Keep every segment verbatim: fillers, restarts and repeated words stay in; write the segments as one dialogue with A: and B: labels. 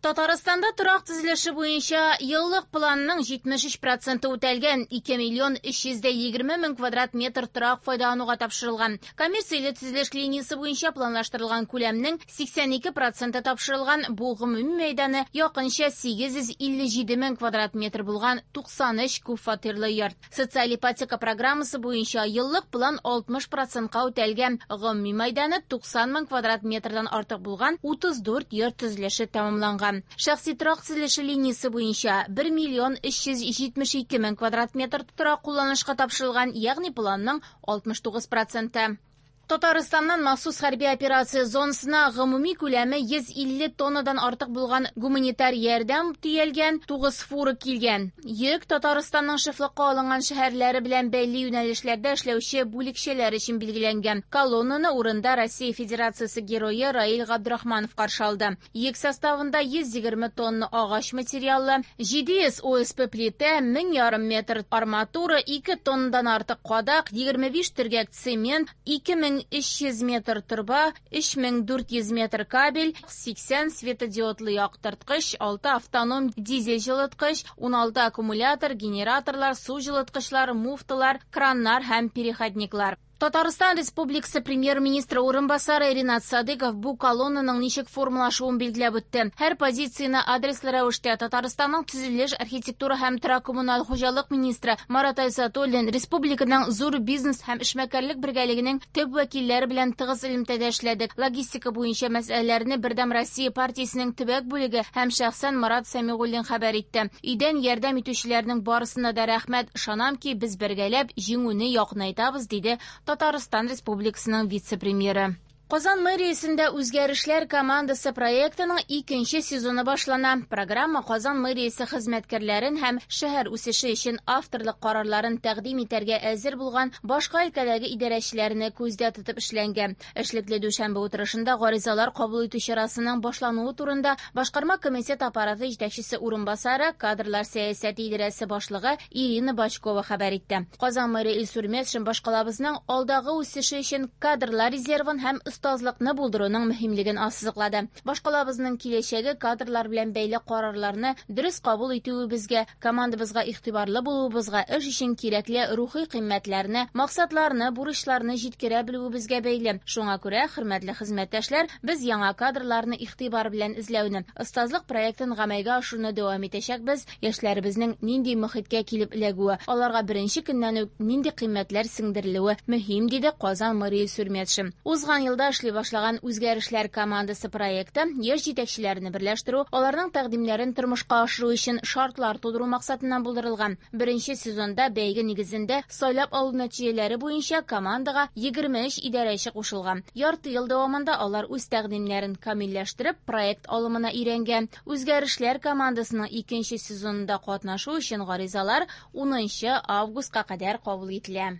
A: Татарстанда торак төзелеше буенча еллык планның җитмеш өч проценты үтәлгән, ике миллион өч йөз дә егерме мең квадрат метр торак файдалануга тапшырылган. Коммерцияле төзелеш линиясе буенча планлаштырылган күләмнең сиксән ике проценты тапшырылган, бу гомуми мәйданы якынча сигез йөз илле җиде мең квадрат метр булган туксан өч күп фатирлы йорт. Социаль ипотека программасы буенча еллык план алтмыш процентка үтәлгән, гомуми мәйданы туксан мең квадрат метрдан артык булган утыз дүрт йорт төзелеше тәмамланган. Шәхси торак төзелеше линиясе буенча бер миллион өч йөз җитмеш ике мең квадрат метр торак кулланышка тапшырылган, ягъни планның алтмыш тугыз проценты. Татарстаннан махсус хәрби операция зонасына гомуми күләме йөз илле тоннадан артык булган гуманитар ярдәм төялгән тугыз фура килгән. Йөк Татарстанның шефлыкка алынган шәһәрләре белән бәйле юнәлешләрдә эшләүче бүлекчәләр өчен билгеләнгән. Колоннаны урында Россия Федерациясе герое Раил Габдрахманов каршы алды. Йөк составында йөз егерме тонна агач материалы, җиде йөз О С П плитә, мең ярым метр арматура, ике тоннадан артык кадак, егерме биш төргәк цемент, ике мең өч йөз метр торба, өч мең дүрт йөз метр кабель, сиксән светодиодлы яктырткыч, алты автоном дизель җылыткыч, уналты аккумулятор, генераторлар, су җылыткычлар, муфталар, краннар һәм переходниклар. Татарстан Республикасы премьер-министры урынбасары Ринат Садыков бу колоннаның ничек формалашуын билгеләп үтте. Һәр позицияне адреслы рәвештә Татарстанның төзелеш, архитектура һәм торак-коммуналь хуҗалык министры Марат Айзатуллин республиканың зур бизнес һәм эшмәкәрлек бергәлегенең төп вәкилләре белән тыгыз элемтәдә эшләдек. Логистика буенча мәсьәләләрне Бердәм Россия партиясенең төбәк бүлеге һәм шәхсән Марат Сәмигуллин хәбәр итте. Өйдән ярдәм итүчеләрнең барысына да рәхмәт. Ышанам ки, без бергәләп җиңүне якынайтабыз, диде Татарстан Республикасының вице-премьеры. Казан мэриясендә үзгәрешләр командасы проектының икенче сезоны башлана. Программа Казан мэриясе хезмәткәрләрен һәм шәһәр үсеше өчен авторлык карарларын тәкъдим итәргә әзер булган башка өлкәдәге идарәчеләрне күздә тотып эшләнгән. Эшлекле дүшәмбе утырышында гаризалар кабул итү чарасының башлануы турында Башкарма комитет аппараты җитәкчесе урынбасары, кадрлар сәясәте идарәсе башлыгы Ирина Бачкова хәбәр итте. Казан мэры Илсур Метшин башкалабызның алдагы үсеше өчен кадрлар резервын һәм остазлыкны булдыруның мөһимлеген ассызыклады. Башкалабызның киләчәге кадрлар белән бәйле карарларны дөрес кабул итүебезгә, командабызга игътибарлы булуыбызга, эш өчен кирәкле рухи кыйммәтләрне, максатларны, бурычларны җиткерә белүебезгә бәйле. Шуңа күрә, хөрмәтле хезмәттәшләр, без яңа кадрларны игътибар белән эзләүне, остазлык проектын гамәлгә ашыруны дәвам итәчәкбез. Яшьләребезнең нинди мөхиткә килеп эләгүе, аларга беренче көннән үк нинди кыйммәтләр сеңдерелүе мөһим, диде Казан мэры Илсур Метшин. Узган елда эшли башлаган үзгәрешләр командасы проекты яшь җитәкчеләрне берләштерү, аларның тәкъдимнәрен тормышка ашыру өчен шартлар тудыру максатыннан булдырылган. Беренче сезонда бәйге нигезендә сайлап алу нәтиҗәләре буенча командага егерме өч идарәче кушылган. Ярты ел дәвамында алар үз тәкъдимнәрен камилләштереп, проект алымына өйрәнгән. Үзгәрешләр командасының икенче сезонында катнашу өчен гаризалар унынчы августка кадәр кабул ителә.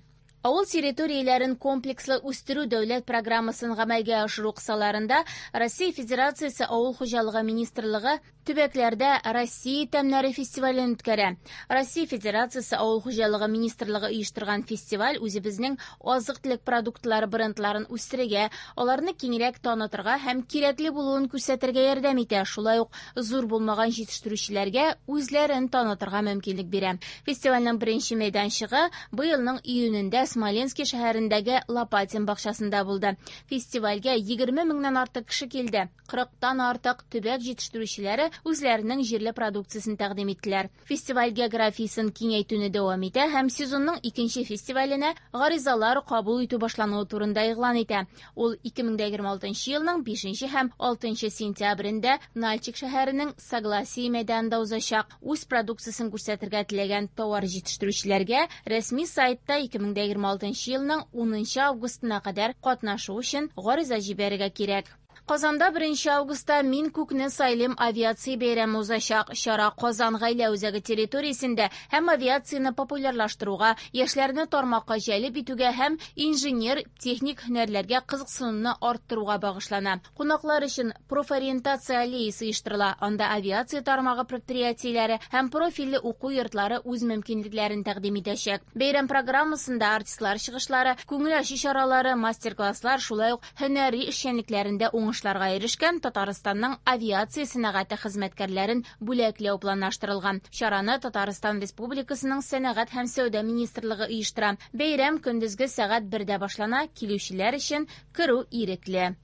A: Авыл территорияләрен комплекслы үстерү дәүләт программасын гамәлгә ашыру кысаларында Россия Федерациясе Авыл хуҗалыгы министрлыгы төбәкләрдә Россия тәмнәре фестивален үткәрә. Россия Федерациясе Авыл хуҗалыгы министрлыгы оештырган фестиваль үзебезнең азык-төлек продуктлары брендларын үстерергә, аларны киңрәк танытырга һәм кирәкле булуын күрсәтергә ярдәм итә. Шулай ук зур булмаган җитештерүчеләргә үзләрен танытырга мөмкинлек бирә. Фестивальнең беренче мәйданчыгы быелның июнендә Смоленский шәһәрендәге Лопатин бакчасында булды. Фестивальгә егерме меңнән артык кеше килде. Кырыктан артык төбәк җитештерүчеләре үзләренең җирле продукциясен тәкъдим иттеләр. Фестиваль географиясен киңәйтүне дәвам итә һәм сезонның икенче фестиваленә гаризалар кабул итү башлануы турында игълан итә. Ул ике мең дә егерме алтынчы елның бишенче һәм алтынчы сентябрендә Нальчик шәһәренең Согласие мәйданында узачак. Үз продукциясен күрсәтергә теләгән товар җитештерүчеләргә рәсми сайтта ике мең дә егерме алтынчы елның унынчы августына кадәр катнашу өчен гариза җибәрергә кирәк. Казанда беренче августта Мин күкне сайлыйм авиация бәйрәме узачак. Чара Казан гаилә үзәге территориясендә һәм авиацияне популярлаштыруга, яшьләрне тармакка җәлеп итүгә һәм инженер-техник һөнәрләргә кызыксынуны арттыруга багышлана. Кунаклар өчен профориентация аллеясы оештырыла. Анда авиация тармагы предприятиеләре һәм профильле уку йортлары үз мөмкинлекләрен тәкъдим итәчәк. Бәйрәм программасында артистлар чыгышлары, күңел ачу чаралары, мастер-класслар, шулай ук һөнәри эшчәнлекләрендә уңыш уңышларга ирешкән Татарстанның авиация сәнәгате хезмәткәрләрен бүләкләү планлаштырылган. Чараны Татарстан Республикасының Сәнәгать һәм сәүдә министрлыгы оештыра. Бәйрәм көндезге сәгать бердә башлана, килүчеләр өчен керү ирекле.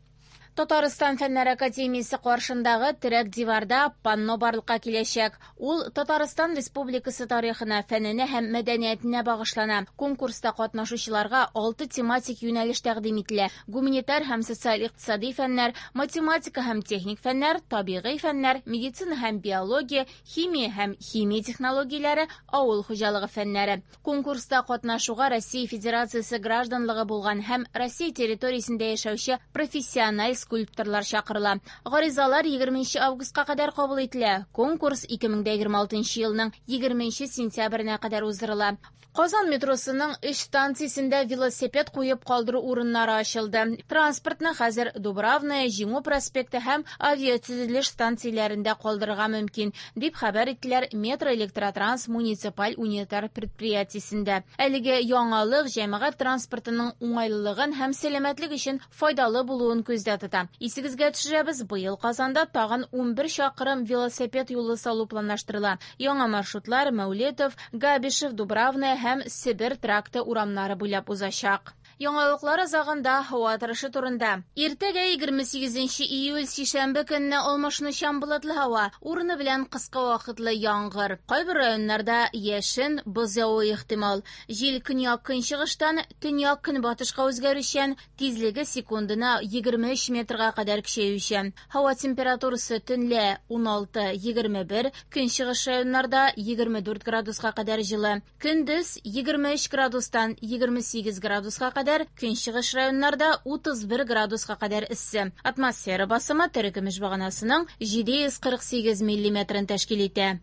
A: Татарстан Фәннәр академиясе каршындагы терәк диварда панно барлыкка киләчәк. Ул Татарстан Республикасы тарихына, фәненә һәм мәдәниятенә багышлана. Конкурста катнашучыларга алты тематик юнәлеш тәкъдим ителә: гуманитар һәм социаль-икътисади фәннәр, математика һәм техник фәннәр, табигый фәннәр, медицина һәм биология, химия һәм химия технологияләре, авыл хуҗалыгы фәннәре. Конкурста катнашуга Россия Федерациясе гражданлыгы булган һәм Россия территориясендә яшәүче профессиональ скульпторлар чакырыла. Гаризалар егерменче августка кадәр кабул ителә. Конкурс ике мең дә егерме алтынчы елның егерменче сентябренә кадәр уздырыла. Казан метросының өч станциясендә велосипед куеп калдыру урыннары ачылды. Транспортны хәзер Дубравная, Җиңү проспекты һәм авиатөзелеш станцияләрендә калдырырга мөмкин, дип хәбәр иттеләр Метро Электротранс муниципаль унитар предприятиесендә. Әлеге яңалык җәмәгать транспортының уңайлылыгын һәм сәламәтлек өчен файдалы булуын күздә тота. Исегезгә төшерәбез, быел Казанда тагын унбер чакрым велосипед юлы салу планлаштырыла. Яңа маршрутлар Мәүлетов, Габишев, Дубравная һәм Себер тракты урамнары буйлап узачак. Яңалыклар азагында һава торышы турында. Иртәгә егерме сигезенче июль сишәмбе көнне алмашынучан болытлы һава, урыны белән кыска вакытлы яңгыр. Кайбер районнарда яшен, боз явуы ихтимал. Җил көньяк-көнчыгыштан төньяк-көнбатышка үзгәрүчән, тизлеге секундына егерме өч метрга кадәр көчәючән. Һава температурасы төнлә уналты егерме бер, көнчыгыш районнарда егерме дүрт градуска кадәр җылы. Көндез егерме өч градустан егерме сигез градуска кадәр, көнчыгыш районнарда утыз бер градуска кадәр эссе. Атмосфера басымы терекөмеш баганасының җиде йөз кырык сигез миллиметрын тәшкил итә.